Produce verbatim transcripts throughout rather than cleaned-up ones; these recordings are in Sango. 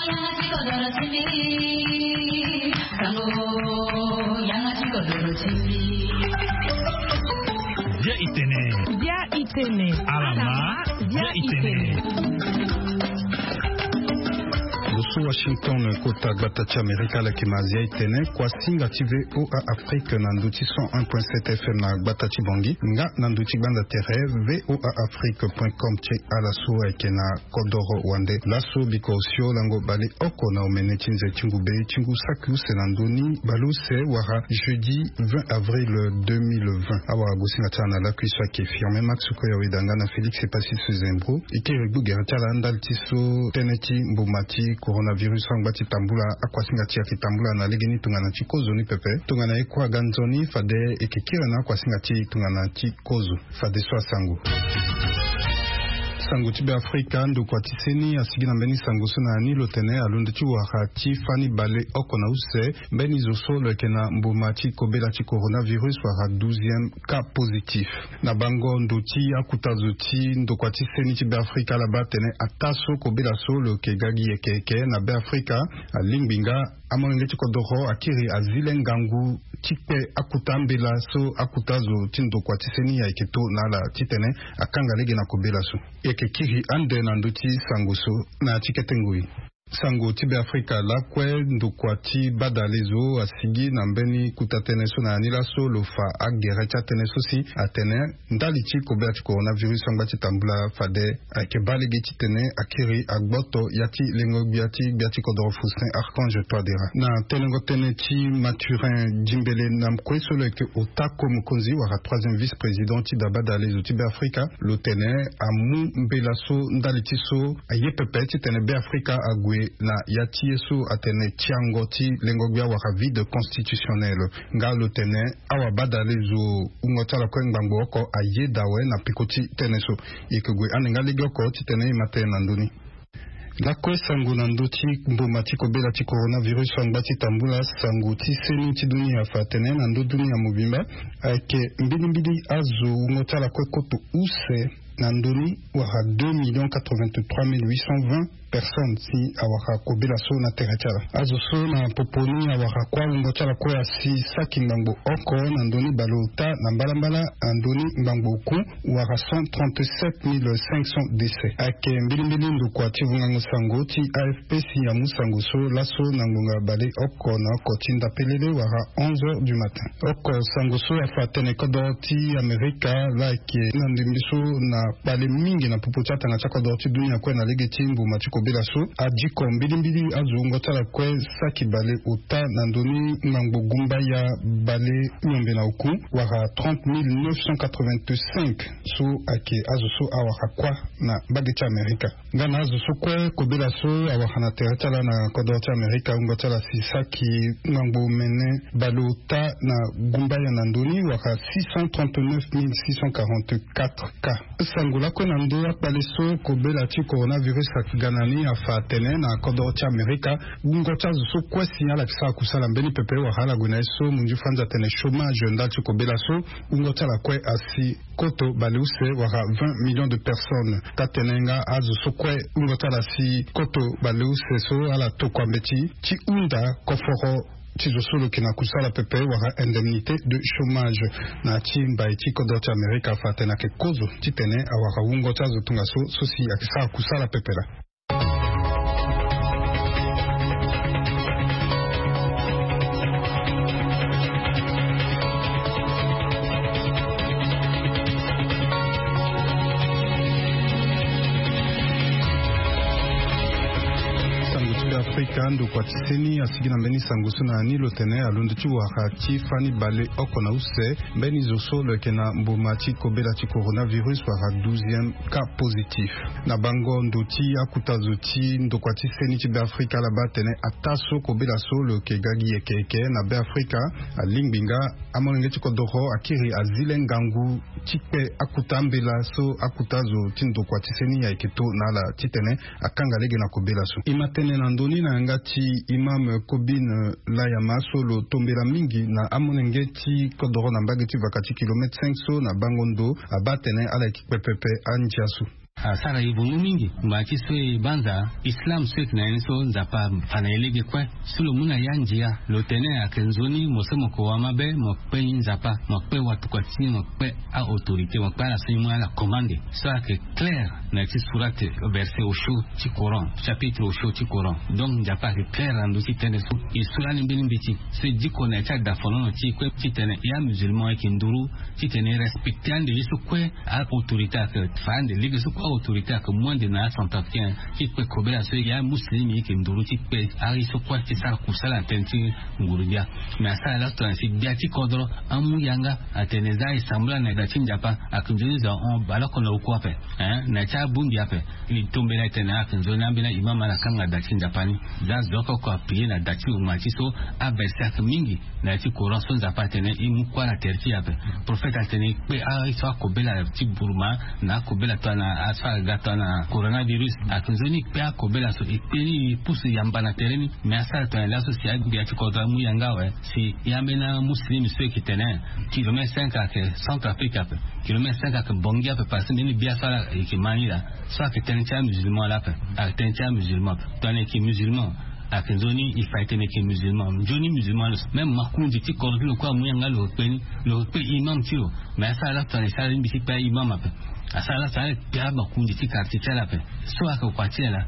Bia itene. Bia itene. Alama. Bia itene. Lo so Washington, kota gbata ti Amerika, ala yeke ma Azia itene. Kuasinga ti V O A Afrique na ndö ti cent un point sept F M na gbata ti Bangui, nga na ndö ti gbanda tere V O A Afrique point com ti ala so ayeke na kodoro wande. Laso biko osio lango baleoko na omene ti nze ti ngu be ti ngu saki use na ndö ni baleuse wala jeudi vingt avril deux mille vingt. Awara gosinga ti ala na lakui so ayeke Firmin Max Koya, weda nga na Félix Epassis Zembro. E kiri gbu gere ti ala ndali ti so tënë ti mboma ti coronavirus so angba ti tambula akuasinga ti e ayeke tambula na legeni tongana ti kozo ni pepe. Tongana e kue aga nzoni fade e yeke kiri na akuasinga ti e tongana ti kozo. Fadeso asango. Sango ti Beafrika, ndokua ti seni asigi na mbeni sango so na ya ni lo tene alondo ti wara ti fani baleoko na use mbeni zo so lo yeke na mboma ti kobela ti coronavirus wala douzième cas positif. Na bango ndo ti akuta zo ti ndokua ti seni ti Beafrika ala baa atene ataa so kobela so lo yeke ga gi yeke yeke na Beafrika alingbi nga amolenge ti kodoro akiri azi le ngangu ti kpe akuta ambela so akuta zo ti ndokua ti seni ayeke to na ala titene akanga lege na kobela so. E yeke kiri ande na ndö ti sango so na ya ti kete ngoi. Sango ti Beafrika lakue, ndokua ti badale zo asigi na mbeni kuta tënë so na ya ni laso lo fa agere ti atënë so si atene ndali ti kobela ti coronavirus angba ti tambula fade ayeke baa lege titene akiri agboto ya ti lengo-gbia ti gbia ti kodoro Faustin Archange Touadéra. Na tenengo tënë ti Mathurin Djimbélé na kue so lo yeke ota ko mokonzi wala troisième vice-président ti da badale zo ti Beafrika, lo tene amu mbela so ndali ti so aye pepe titene Beafrika ague na ya ti ye so atene tiango ti lengo-gbia wala vide constitutionnel. Nga lo tene awabadale zo wungo ti ala kue ngbangbo oko ayeda awe na peko ti tënë so. E yeke gue ande nga legeoko titene e ma tënë na ndö ni. Lakue sango na ndö ti mboma ti kobela ti coronavirus so angba ti tambula, sango ti seni ti dunia afa atene na ndö dunia mobimba ayeke mbilimbili azo wungo ti ala kue koto use na ndö ni wala deux millions quatre-vingt-trois mille huit cent vingt personnes si awara kobela so na tere ti ala. Azo so na popo ni awara kuâ wungo ti ala kue asi saki ngbangbo oko na ndö ni baleota na mbalambala na ndö ni ngbangbo oku wala cent trente-sept mille cinq cents décès. Ayeke mbilimbili ndokua ti vungango sango ti A F P si amu sango so laso na ngonga baleoko na oko ti ndapelele wala onze heures du matin. Oko sango so afa atene kodoro ti Amerika laa ayeke na ndembe so na kpale mingi na popo ti atanga ti akodoro ti dunia kue na lege ti mboma ti kobela so adiko mbilimbili azo wungo ti ala kue saki baleota na ndö ni ngbangbo gumbaya balenyombe na oku wala trente mille neuf cent quatre-vingt-cinq so ayeke azo so awara kuâ na mbage ti Amerika. Nga na azo so kue kobela so awara na tere ti ala na kodoro ti Amerika wungo ti ala si saki ngbangbo mene baleota na gumbaya na ndö ni wala six cent trente-neuf mille six cent quarante-quatre cas. Sango lakue na ndö akpale so kobela ti coronavirus ayeke ga na ni afa atene na kodoro ti Amerika wungo ti azo so kue si ala yeke sara kusala mbeni pepe wala ala gue na ye so munzu fanzi atene chômage ndali ti kobela so wungo ti ala kue asi koto baleuse wala vingt millions de personnes. Taa-tene nga azo so kue wungo ti ala si koto baleuse so ala tokua mbeti ti hunda koforo ti zo so lo yeke na kusala pepe wala indemnité de chômage. Na ya ti mbai ti kodro ti Amerika afa atene ayeke kozo titene awara wungo ti azo tongaso so si ayeke sara kusala pepe laa. Sango ti Beafrika, ndokua ti seni asigi na mbeni sango so na ya ni lo tene alondo ti wara ti fani baleoko na use mbeni zo so lo yeke na mboma ti kobela ti coronavirus wala douzième cas positif. Na bango ndo ti akuta zo ti ndokua ti seni ti Beafrika ala baa atene ataa so kobela so lo yeke ga gi yeke yeke na Beafrika, alingbi nga amolenge ti kodoro akiri azi le ngangu ti kpe akuta ambela so akuta zo ti ndokua ti seni ayeke to na ala titene akanga lege na kobela so. E ma tene na ndö ni na yanga ti imam Kobine Layama so lo tombela mingi na amolenge ti kodoro na mbage ti vaka ti kilomètre cinq so na bango ndo abaa atene ala yeke kpe pepe andia so. Asara e vungu mingi ngba ti so e banza islam so e yeke na ye ni so Nzapa afa na e lege kue. So lo mu na ya ndia lo tene ayeke nzoni mo so mo yeke wamabe mo kpe ni Nzapa, mo kpe watokua ti ni, mo kpe a-autorité, mo kpe ala so ni mu ala commande. So ayeke claire na ya ti surat, verset osio ti Coran, chapitre osio ti Coran. Donc Nzapa ayeke claire na ndö ti tënë so. E so lani mbeni mbeti so e diko na ya ti adafonono ti e kue titene e amusulman e yeke nduru titene e respecte ande ye so kue a-autorité ayeke fa ande lege so kue a-autorité ayeke mu ande na acentrafricain ti kpe kobela so e yeke amuslim e yeke nduru ti kpe aye so kue ti sara kusala na tënë ti nguru-gbia. Mais asara laso tongana si gbia ti kodro amu yanga atene za e sambela na da ti Nzapa ayeke nzoni zo ahon baleoko na oku ape. Hein, na ya ti abongbi ape. E tombela e tene ayeke nzoni ambeni aimam ala kanga da ti Nzapa ni. Za zo oko oko apriye na da ti lo ngba ti so. Averset ayeke mingi na ya ti Coran so Nzapa atene e mu kuâ na tere ti e ape. Prophète atene e kpe aye so akobela ti buruma na akobela tongana aso aga tongana coronavirus. Ayeke nzoni e kpe akobela so e kpe ni e pusu yamba na tere ni. Mais asara tongana laso si agbia ti kodro amu yanga awe. Si e ambeni amuslim so e yeke tene kilomètre cinq ayeke Centrafrique ape. Kilomètre cinq ayeke Bangui ape parce que mbeni gbia so ala yeke ma ni laa. So ayeke tënë ti amusulman laa ape. Ayeke tënë ti amusulman ape. Tongana e yeke musulman ayeke nzoni e fa e tene e yeke musulman. Nzoni musulman lo so même makonzi ti kodro ti lo kue amu yanga lo yeke kpe ni. Lo yeke kpe imam ti lo. Mais asara laso tongana e sara lingbi ti kpe aimam ape. Asara laso ala kpe amakonzi ti quartier ti ala ape. So ayeke kua ti ala.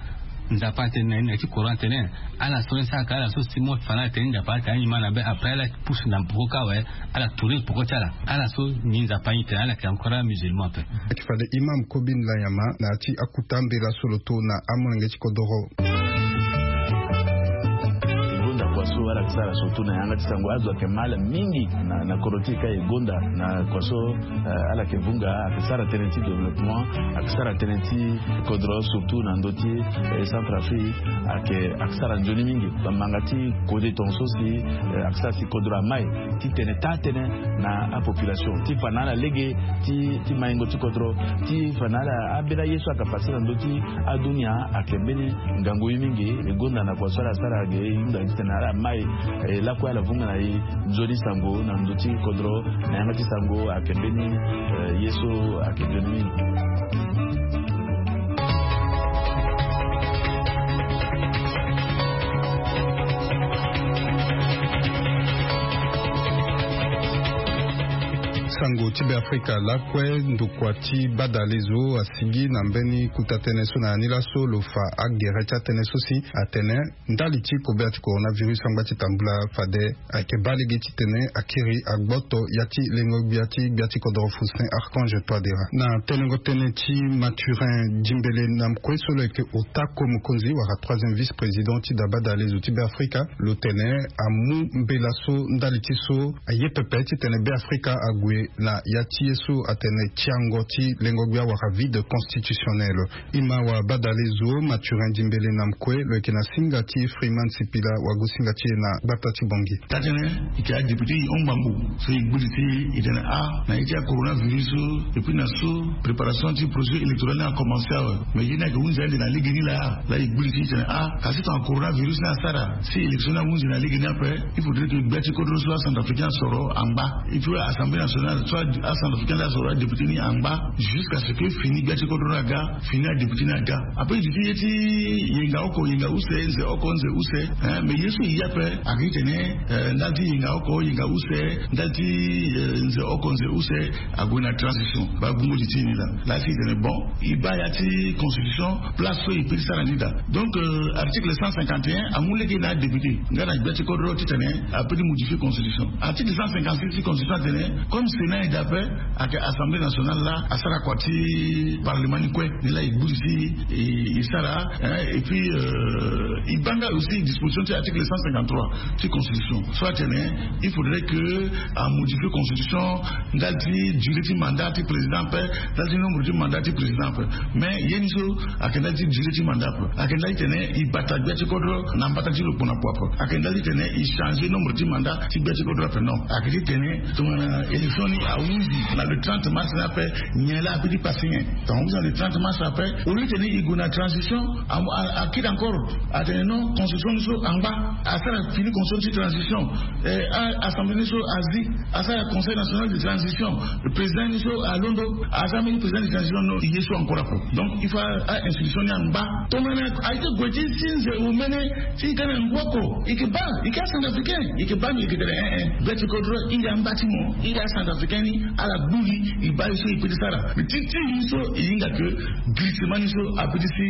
Nzapa atene na ye na ya ti Coran atene ala so ni sara ka ala so si mo fa na ala tene Nzapa ayeke anyi ma na be après ala pusu na poko kâ awe. Ala tourner poko ti ala. Ala so ni Nzapa anyi tene ala yeke encore amusulman ape. Ayeke fade imam Kobin Lanyama na ya ti akota mbela so lo to na amolenge ti kodoro. E gonda kua so ala yeke sara surtout na yanga ti sango azo ayeke ma ala mingi na, na kodro ti e ka e gonda na kua so. Eh, ala yeke vunga ayeke sara tënë ti développement, ayeke sara tënë ti kodro surtout na ndö ti, eh, Centrafrique. Ayeke, ayeke sara nzoni mingi bamanga ti kode tongaso si, eh, ayeke sara si kodro amai titene taa tënë na apopulation ti fa na ala lege ti, ti maingo ti kodro ti fa na ala. Ambeni aye so ayeke pase na ndö ti adunia ayeke mbeni ngangu ye mingi. E gonda na kua so ala sara ge e hunda titene ala mai, eh, lakue ala vunga na e nzoni sango na ndö ti kodro. Na yanga ti sango ayeke mbeni, eh, ye so ayeke nzoni mingi. Sango ti Beafrika lakue ndokua ti badalezo asigi na mbeni kota tënë so na ya ni laso lo fa agere ti atënë so si atene ndali ti kobela ti coronavirus angba ti tambula fade ayeke baa lege titene akiri agboto ya ti lengo-gbia ti gbia ti kodoro Faustin Archange Touadéra. Na tenengo tënë ti Mathurin Djimbélé Namkwe so lo yeke ota ko mokonzi wala troisième vice-président ti da badalezo ti Beafrika, lo tene amu mbela so ndali ti so aye pepe titene Beafrika ague na ya ti ye so atene tiango ti lengo-gbia wala vide constitutionnel. Ima wa badalezo Mathurin Djimbélé Namkwe lo yeke na singa ti Freeman Sipila wagosinga ti e na gbata ti Bangui. Taa tënë e yeke adéputé e hon ngbangbo so e gbiri ti e tene a na ye ti acoronavirus so, et puis na so préparation ti procédure électorale ni acommencé awe. Mais ye ni ayeke hunzi ande na legeni laa. Laa e gbiri ti e tene a kasi tongana coronavirus ni asara si élection ni ahunzi na legeni ape, il faudrait que gbia ti kodro so acentrafricain asoro angba. Et puis assemblée nationale so acentrafricain laa asoro adéputé ni angba jusqu'à ce que fini gbia ti kodro ni aga, fini adéputé ni aga. Après duti ye ti yenga oko yenga use, nze oko nze use, hein, mais ye so e ye ape ayeke titene, eh, ndali ti yenga oko yenga use, ndali ti, eh, nze oko nze use ague na transition. Baa gbungo li ti e ni laa. Laa si e tene bon, e baa ya ti constitution place so e peut ti sara ni daa. Donc, euh, article cent cinquante et un amu lege na adéputé nga na gbia ti kodro titene a peut ti modifier constitution. Article cent cinquante-six ti constitution atene comme Sénat aye daa ape, ayeke assemblée nationale laa asara kua ti parlement ni kue. Ni laa e gbiri ti e, e sara, hein, et puis, euh, e baa nga aussi disposition ti article cent cinquante-trois ti constitution so atene il faudrait que a modifier constitution ndali ti durée ti mandat ti président ape, ndali ti nombre ti mandat ti président ape. Mais ye ni so ayeke ndali ti durée ti mandat ape, ayeke ndali titene e bata gbia ti kodro na mbata ti lo kpo na kpo ape. Ayeke ndali titene e changer nombre ti mandat ti gbia ti kodro ape, non. Ayeke ti tene tongana élection ni ahunzi na le trente mars ni ape, nyen laa ape ti passé nyen? Tongana ahunzi na le trente mars ape, au lieu titene e gue na transition, a, a, akiri encore atene Non, constitution ni so angba, asara fini constitution ni so transition. Eh, a- assemblée ni so azi, asara conseil national de transition. Le président ni so alondo, asara mbeni président de transition, non, ye so encore ako. Donc il faut a institution ni angba. Tomene a ite gue ti si nze omene, si i ka na ngwoko, i ke ba, i ke a centrafricain, i ke ba mi i ke tene eh eh beti kodro i ya ngba ti mo, i ya centrafricain ni ala gbu li, i ba i so i pe ti sara. Mais ti ti ni so i hinga ke glissement ni so a pe ti si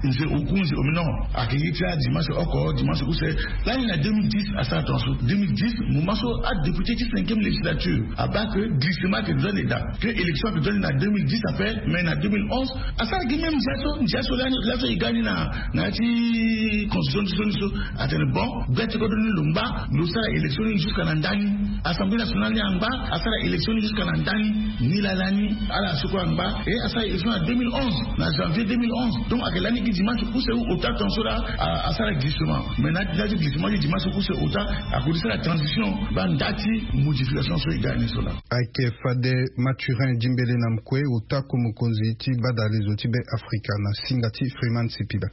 nze oku nze omi non. Ake ye ti adimanche oko dimanche use. Lani na deux mille dix asara transfo deux mille dix, moment so adéputé ti cinquième législature aba ke glissement ake dua ni daa, ke élection ake dua ni na deux mille dix ape. Mais na deux mille onze asara gi même ndia so ndia so lani laso e ga ni na na ya ti constitution ti so ni so. Atene bon, beti kodro ni lo ngba, lo sara élection ni jusqu'à na nda ni. Assemblée nationale ni angba, asara élection ni jusqu'à na nda ni. Ni laa lani ala sukula angba e asara élection na deux mille onze, na janvier deux mille onze. Donc ake lani gi dimanche use ou ota ton so laa, asara glissement. Mais na ti glissement ti dimanche use ota, akoti sara transition ba nda ti modification so e ga ni so laa. Ake fade Mathurin Dimbele na mkue ota ku mokonzi ti badalezo ti be afrika na singa ti Freeman Sipila.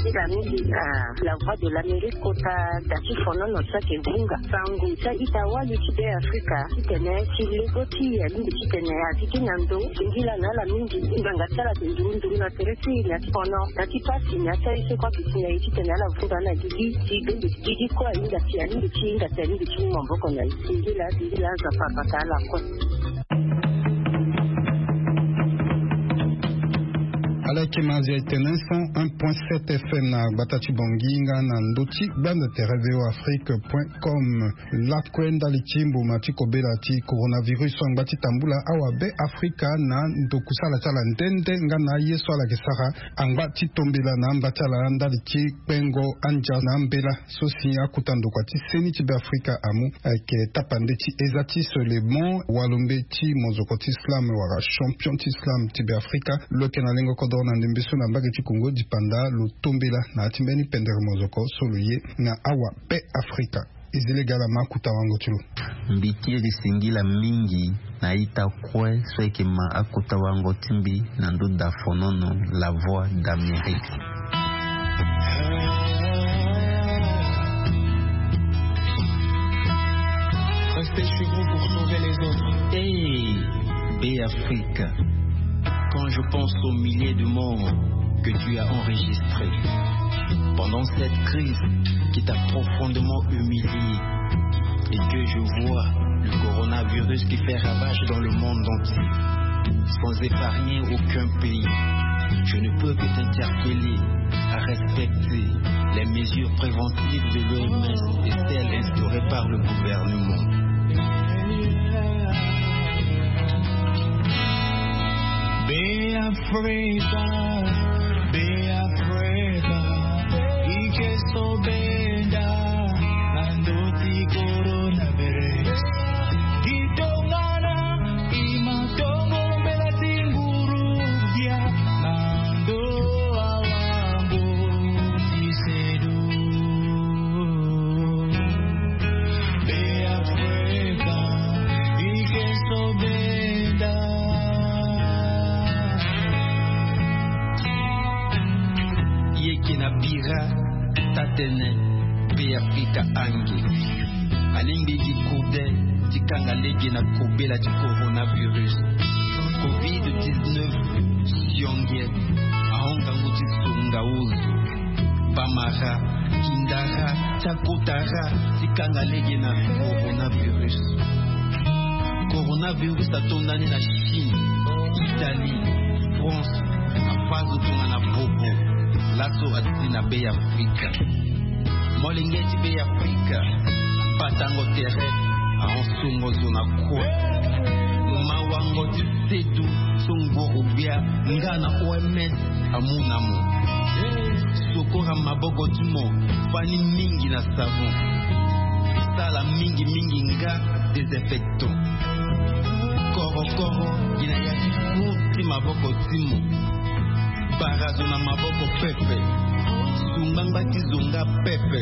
Nzila mingi na la voix de l'Amérique kota da ti fonono so ayeke vunga sango ti a-ita wali ti be afrika titene ti lego ti e alingbi titene azi gi na ndo. Singila na ala mingi ngbanga ti ala ayeke nduru nduru na tere ti e na ti fono na ti pasi na ya ti aye so kue ayeke si na e titene ala vunga na gigi ti bende gigi kue ahinga si alingbi ti hinga si alingbi ti mu maboko na e. Singila singila aza papa ka ala kue. Ala yeke ma azi aye tene cent un point sept F M na gbata ti Bangui nga na ndö ti gbanda tere V O Afrique point com. Lakue ndali ti mbuma ti kobela ti coronavirus so angba ti tambula awabe afrika na ndo kusala ti ala nde nde nga na aye so ala yeke sara angba ti tombela na amba ti ala ndali ti kpengo andia na ambela. So si akota ndokua ti seni ti be afrika amu ayeke tapande ti eza ti solemon walombe ti mozoko ti islam wala champion ti islam ti be afrika. Lo yeke na lengo kodoro na ndembe so na mbage ti kongo dipanda lo tombela na ya ti mbeni pendere mozoko so lo ye na awa be afrika. Ezele gala ma akota wango ti lo. Mbi kiri singila mingi na ita kue so ayeke ma akota wango ti mbi na ndo da fonono. La voix d'Amérique. Restez chez vous pour sauver les autres. Hey, Béafrique, quand je pense aux milliers de morts que tu as enregistrés pendant cette crise qui t'a profondément humilié et que je vois le coronavirus qui fait ravage dans le monde entier, sans épargner aucun pays, je ne peux que t'interpeller à respecter les mesures préventives de l'O M S et celles instaurées par le gouvernement. Be Afrika, be Afrika, i ke so benda na ndö ti coronavirus. Gi tongana i ma tongo mbela ti nguru dia na ndö awa mboti sedo. Be Afrika, i ke so benda. Ye ke na bira tatene Be Afrika ange. Alingbi gi kode ti kanga lege na kobela ti coronavirus. Covid dix-neuf sionge ahon ngangu ti songa ozo. Bamara, kindara, ti akotara ti kanga lege na coronavirus. Coronavirus ato ndani na Chine, Italie, France, afa zo tongana bobo. Laso ati na Be Afrika. Molenge ti Be Afrika, batango tere ahon songo zo na kue. Mawango ti sedu so ngoro gbia nga na O M S amu na mo. Sokora maboko ti mo fani mingi na savon. Sala mingi mingi nga désinfectant. Korokoro gi na ya ti fu ti maboko ti mo. Bara zo na maboko pepe. Su ngbangba ti zo nga pepe.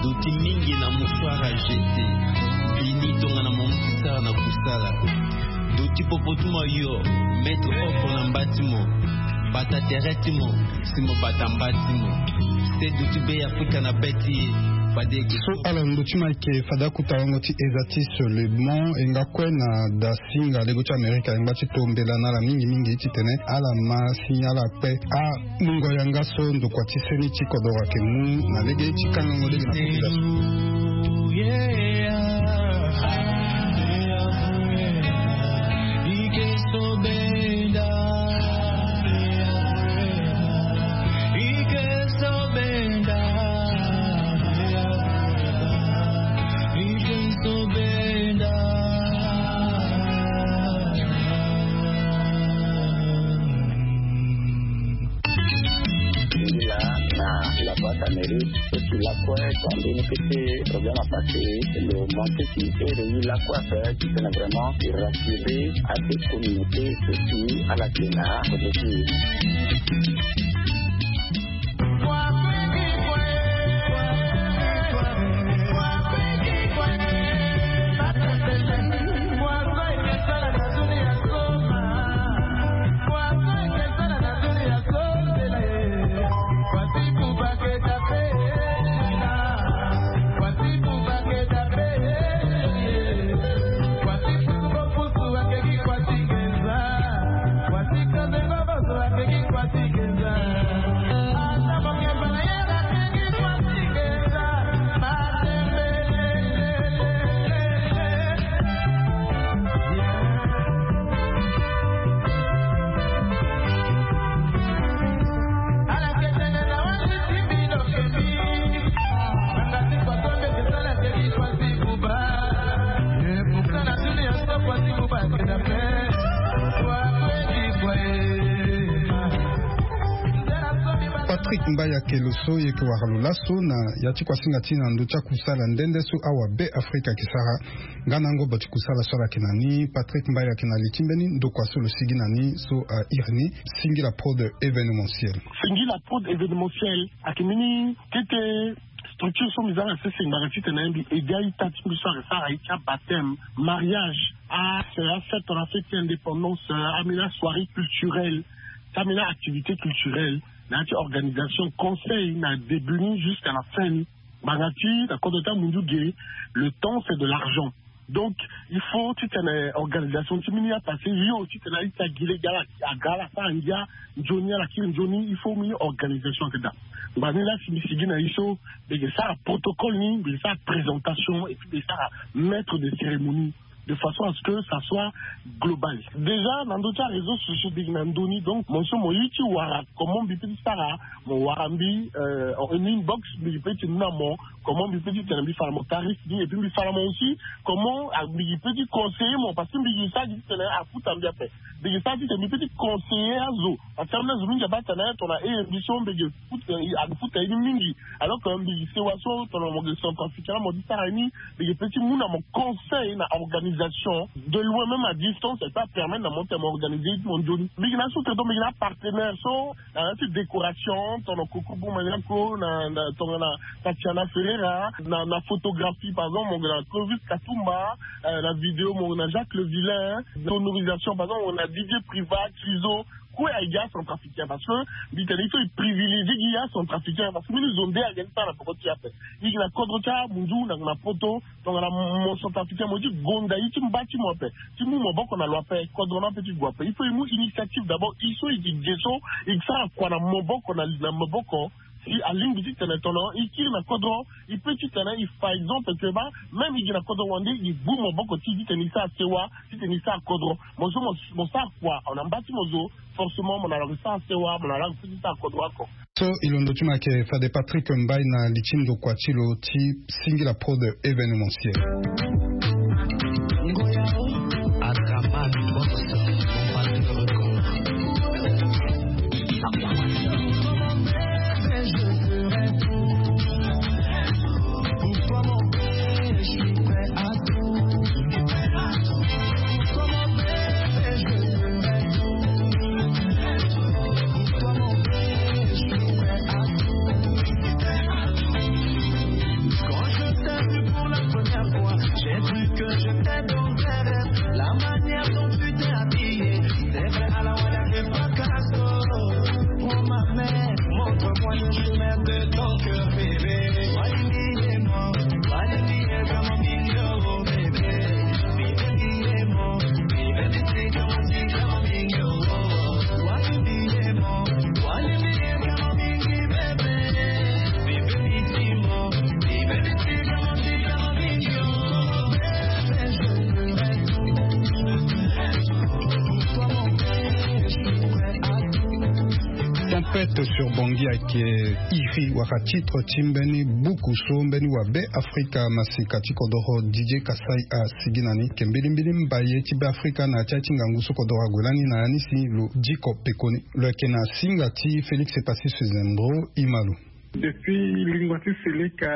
Doti mingi na mouchoir à jeter. Bini tongana mo mu ti sara na kusala. Doti popo ti mo ayo, mettre oko na mba ti mo. Bata tere ti mo, si mo bata mba ti mo. Se duti be Afrika na be ti e. Fade eke so ala ndo ti ma eke fade akuta lango ti eza ti Solemon e nga kue na da singa lego ti Amerika e ngba ti tombela na ala mingi mingi titene ala ma si ala kpe a mungo yanga so ndokua ti seni ti kodoro ake mu na lege ti kangango lege na population. Singila na la boîte à mérite, et puis la quoi, quand on peut problème à passer, le monter qui est réuni la quoi faire, qui fait vraiment rassurer à des communautés, et puis à la Kena, côté qui Patrick Mbayake lo so ye ke wara lo laso na ya ti kuasinga ti na ndo ti akusala nde nde so awa be Afrika ke sara. Nga na ngobo ti kusala so ala ke na ni Patrick Mbayake na li ti mbeni ndokua so lo sigi na ni so a iri ni Singila Prod événementiel. Singila Prod événementiel ake mbeni kete structure so mbi za na sese ngbanga titene mbi aide a-ita ti mbi so ayeke sara aye ti abaptême, mariage, a, a fête, on a fait ti indépendance, a mbeni asoirée culturelle, ti ambeni activité culturelle, na ya ti organisation conseil na début ni jusqu'à la fin ni. Ngbanga ti na kodro ti amunzu ge, le temps c'est de l'argent. Donc il faut titene organisation ti mbeni apassé yo titene a-ita gi lege ala aga ala sara ngia nzoni ala kiri nzoni, il faut mbeni organisation ayeke daa. Ngbanga ni laa si mbi sigi na ye so mbi yeke sara protocole ni, mbi yeke sara présentation et puis mbi yeke sara maître de cérémonie de façon à ce que ça soit global. Déjà na ndö ti aréseau sociaux mbi yeke na ndö ni, donc mo so mo ye ti wara comment mbi peut ti sara, mo wara mbi, euh, en inbox mbi peut ti mu na mo comment mbi peut ti tene mbi fa na mo tarif ni, et puis mbi fa na mo aussi comment, ah, mbi peut ti conseiller mo, parce que mbi yeke sara gi titene afuta mbi ape. Mbi yeke sara gi titene mbi peut ti conseiller azo, parce que ambeni azo mingi abaa tene tongana e mbi so mbi yeke futa, eh, afuta ye ni mingi. Alors que mbi yeke sewa so tongana mo yeke centrafricain la mo ti sara ye ni, mbi yeke peut ti mu na mo conseil na organisation de loin, même à distance, et ça permet na mo tene mo organiser ye ti mo nzoni. Mbi yeke na sous-traitant, mbi yeke na partenaire so na ya ti décoration, tongana Koko Boumaniako, na, na, tongana Tatiana Ferreira, na, na photographie, par exemple, mo yeke na Clovis Katumba, euh, na vidéo, mo yeke na Jacques Le Vilain, sonorisation, par exemple, mo yeke na Didier Privat, Criso, kue ayeke gi acentrafricain, parce que mbi tene il faut e privilégier gi acentrafricain, parce que mbeni zo nde ayeke ni sara na peko ti e ape. E yeke na kodro ti amunzu, na, na poto, tongana mo centrafricain mo ye ti gonda ye ti mba ti mo ape, ti mu maboko na lo ape, kodro ni ape ti gue ape. Il faut e mu initiative d'abord, e so e yeke ge so, e yeke sara kua na maboko na, na maboko. Si alingbi titene tongana e kiri na kodro, e peut titene e fa exemple que ba, même e gi na kodro wande, e gbu maboko ti e titene e sara sewa, titene e sara kodro. Mo so mo, mo sara kua na mba ti mo zo, forcément mo na lango ti sara sewa, mo na lango ti sara kodro oko. So e londo ti mo ayeke fade Patrick Mbaye na li ti ndokua ti lo ti Singila Prod événementiel. Adraman Boss, Bombastic Record. Quand je t'ai vu pour la première fois, j'ai Ke iri wala titre ti mbeni buku so mbeni wa Be Afrika masika ti kodoro Didier Kassai asigi na ni, ke mbilimbili mbaye ti Be Afrika na ya ti ya ti ngangu so kodoro ague lani na ya ni si lo diko pekoni. Lo yeke na singa ti Félix Epassis Sezendro Imalo. Depuis lingua ti Seleka,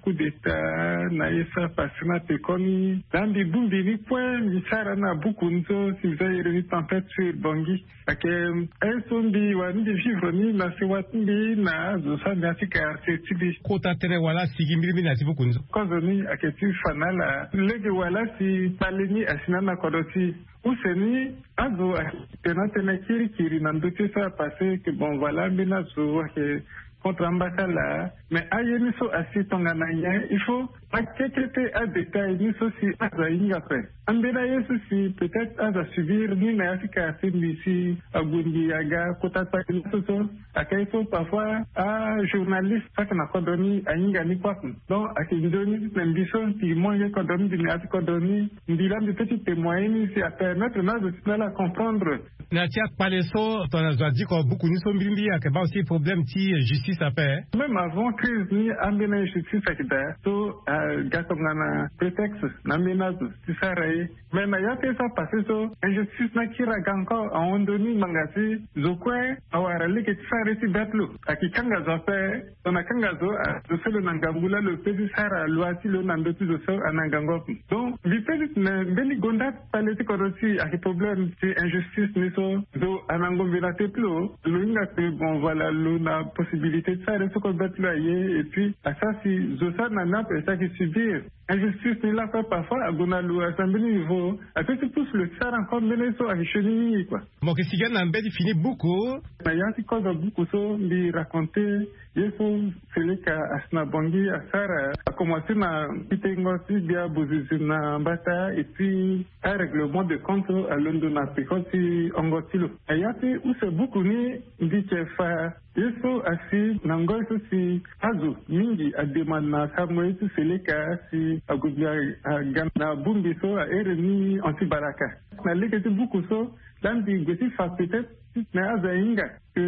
coup d'état na ye so apasse na pekoni, na mbi bongbi ni kue mbi sara na buku ni so si mbi za iri ni Tempête sur Bangui. Ake, eh, so mbi wara ni mbi vivre ni na sewa ti mbi na zo so ande na ya ti quartier ti mbi. Kota tënë wala asigi mbilimbili na ya ti buku ni so. Kozo ni ake ti fa na ala lege wala si pale ni asi na ala na kodro ti e. Use ni azo ake na tënë kirikiri na ndö ti ye so apasse ke bon voilà ambeni azo ake contre ambeni ala. Mais aye ni so asi tongana nyen, il faut akekete adétail ni so si azo ahinga ape. Ambeni aye so si peut-être azo asubir ni na ya ti quartier mbi si ague mbi aga kota kpale ni so so. Ake so parfois ajournaliste so ake na kodro ni ahinga ni kue ape. Donc ake nzoni ti tene mbi so mbi mu nge kodro ni mbi na ya ti kodro ni, mbi laa mbi peut ti témoigner ni si apermettre na azo ti na ala comprendre. Na ya ti akpale so tongana zo adiko buku ni so mbilimbili ake baa aussi problème ti justice ape. Même avant crise ni ambeni injustice ake daa so aga tongana prétexte na ambeni azo ti sara ye. Mais na ya ti ye so apasse so injustice ni akiri aga encore ahon ndoni ngbanga si zo kue awara lege ti sara ye ti be ti lo. Ake kanga zo ape. Tongana akanga zo, azo so lo na ngangu laa lo peut ti sara loi ti lo na ndö ti zo so ana ngangu ape. Donc mbi peut ti tene mbeni gonda kpale ti kodro ti e ake problème ti injustice ni so zo ana ngombe na te ti lo. Lo hinga ke bon voilà lo na possibilité ti sara ye so kue be ti lo aye et puis asara si zo so ana ni ape si ake subir injustice ni lakue parfois ague na lo asi na mbeni niveau ape ti pousse lo ti sara encore mbeni ye so ake sioni mingi kua. Mo yeke sigi na mbeni fini buku. Na ya ti kozo buku so mbi raconter ye so Seleka asi na Bangui asara, akomanse na kitengo ti gbia bozizi na mbata et puis arèglement de compte alondo na peko ti hongo ti lo. Na ya ti use buku ni mbi yeke fa ye so asi na ngoi so si azo mingi ademande na sarango ye ti Seleka si ague mbi aga na bongbi so ahere ni Anti Balaka. Na lege ti buku so laa mbi gue ti fa peut-être ti tene azo ahinga ke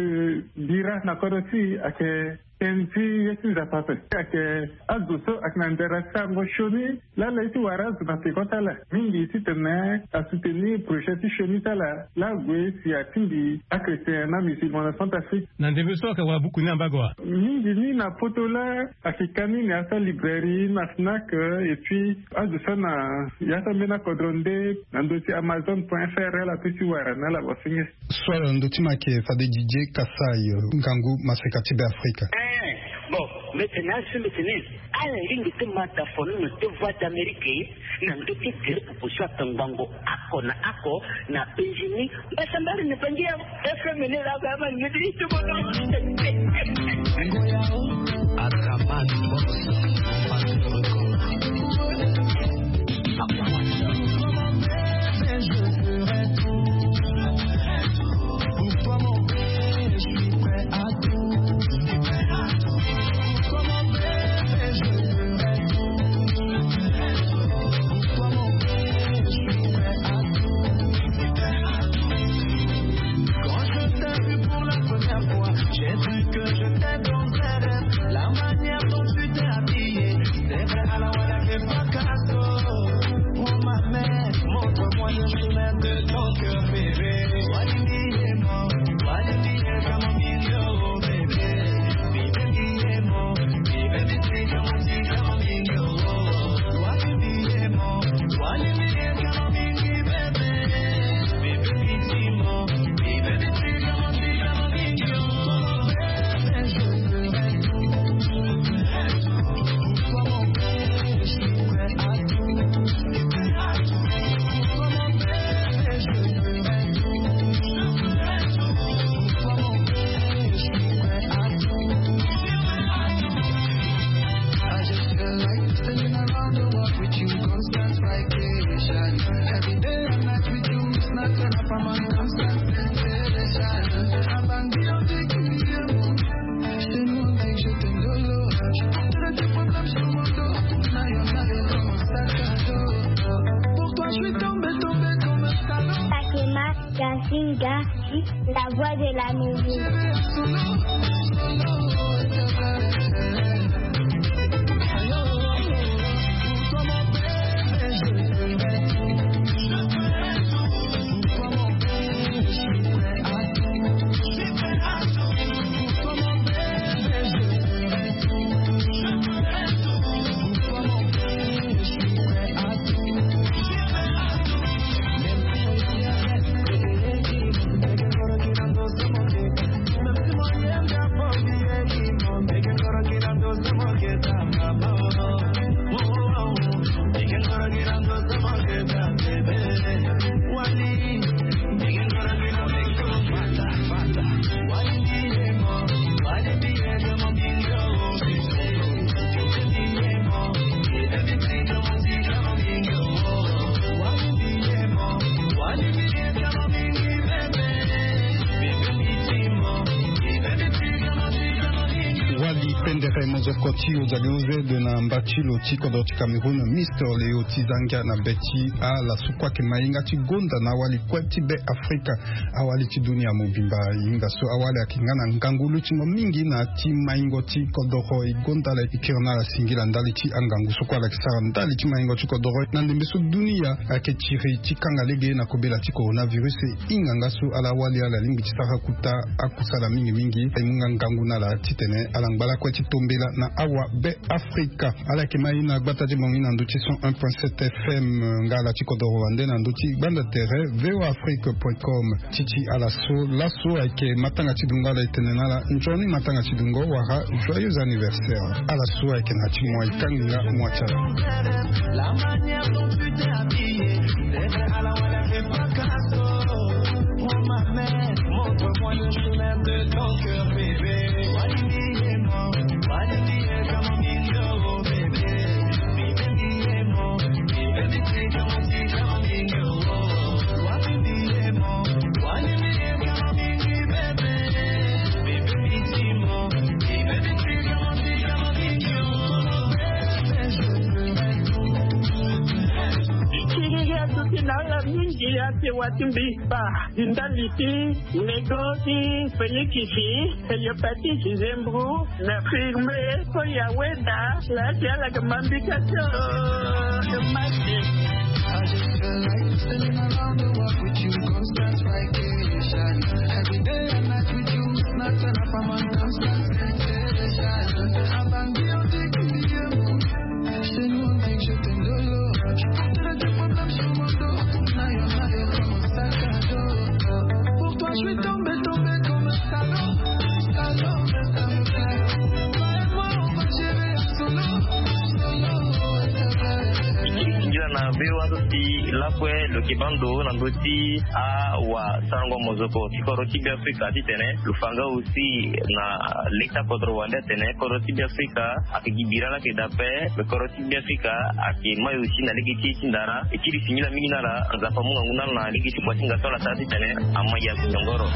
bira na kodro ti e ake tënë ti ye ti Nzapa ape. Ake azo so ake na ndara ti sarango sioni laa ala ye ti wara azo na peko ti ala mingi ti tene asoutenir projet ti sioni ti ala laa ague si atingbi achrétien na musulman na Centrafrique. Na ndembe so ake wara buku ni na mbago wa? Mingi ni na poto laa ake ka ni na ya ti alibrairie na Fnac et puis azo so na ya ti ambeni akodro nde na ndö ti Amazon point F R ala peut ti wara na ala bosenge. So ala na ndö ti ma ake fade Didier Kassai, ngangu maseka ti Be Afrika. Eh, bon, mbi tene asi mbi tene ala lingbi ti ma dafono na te Voix d'Amérique na ndö ti gere popo so atongbango oko na oko na Benjini. Mbasambari na Bangi ya F M ni la ba ma ngedi ti bono. Atraman boss, on passe le record. Quand je t'ai vu pour la première fois, j'ai cru que je t'ai dans un rêve. La manière dont tu t'es habillée, c'est vrai, à la wala que pas cadeau. Prends ma main, montre-moi le chemin de ton cœur, bébé. Why you need it more? Why you need it, come on, be your baby? Be, be, be, be, be, baby, come on, be, come on, be your. Why you need it more? Why you need it, come on, be, be, baby? Takema Kansinga, la voix de la musique. Wali pendere mozoko ti ozali ozede na mba ti lo ti kodro ti Cameroun, Mister Leo Tizangia na be ti ala so kue ayeke ma hinga ti gonda na awali kue ti be Afrika, awali ti dunia mobimba. Hinga so awali ayeke nga na ngangu lutingo mingi na ti maingo ti kodoro e gonda ala e kiri na ala singila ndali ti angangu so kue ala yeke sara ndali ti maingo ti kodoro na ndembe so dunia ayeke tiri ti kanga lege na kobela ti coronavirus. E hinga nga so ala wali ala lingbi ti sara kuta akusala mingi mingi e mu nga ngangu na ala titene ala ngba lakue ti tombela na awa be Afrika. Ala yeke ma ye na gbata ti bango ye na ndö ti cent un point sept F M, nga ala ti kodoro wande na ndö ti gbanda tere V O A Afrique point com. Ti ti ala so laso ayeke matanga ti dungo, ala e tene na ala nzoni matanga ti dungo wala joyeux anniversaire. Ala so ayeke na ti moi kanginga moi ti ala. La manière dont tu t'es habillé, c'est vrai, à la wala fait pas casse. Prends ma main, montre-moi le chemin de ton cœur, bébé. Wali mbi ye mo, wali mbi ye kama mbi yo, bébé. Mbi mbi ye mo, mbi mbi ye kama mbi yo. Wali mbi ye mo, wali mbi ye kama mbi, bébé. Mbi mbi ye mo, mbi mbi ye kama mbi yo. Kiri ya tuti na ala mingi ya te wati mbi ba. Ndali ti nego ti pelikisi, hepatite, zembro, na firme, ko ya weda, la ti ala ke mambika tio, e mati. Singila na V O A so si lakue lo yeke baa ndo na ndö ti awasarango mozoko ti kodro ti Beafrika titene lo fa nga aussi na leta kodro wande atene kodro ti Beafrika ayeke gi bira laa ayeke daa ape, me kodro ti Beafrika ayeke mai aussi na lege ti e ti ndara. E kiri singila mingi na ala, Nzapa amu ngangu na ala na lege ti kua ti nga so ala sara titene ama ya nyongoro.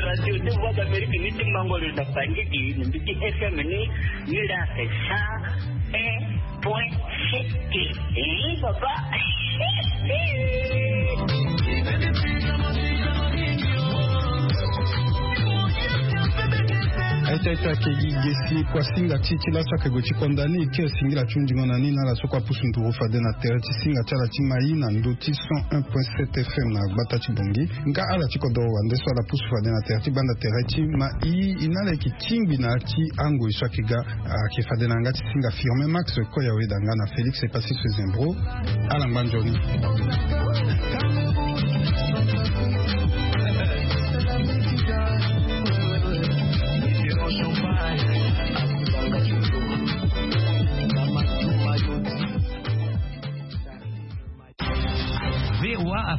Radio de Voix d'Amérique ni ti mango lo na Bangui, ni mbeti F M ni, ni la sa un point sept. Eh, papa. Aita, aita, ayeke gi ge si kua singa ti, ti laso ayeke gue ti konda ni, ti singila ti hundingo na ni na ala so kua pusu nduru fade na tere ti singa ti ala ti mai na ndö ti cent un point sept F M na gbata ti Bangui. Nga ala ti kodoro wande so ala pusu fade na tere ti gbanda tere ti mai, e na ala yeke tingbi na ya ti angoi so ayeke ga, ayeke fade na yanga ti singa Firmin Max, Koya Weda nga na Félix Epassis Zembro. Ala ngba nzoni.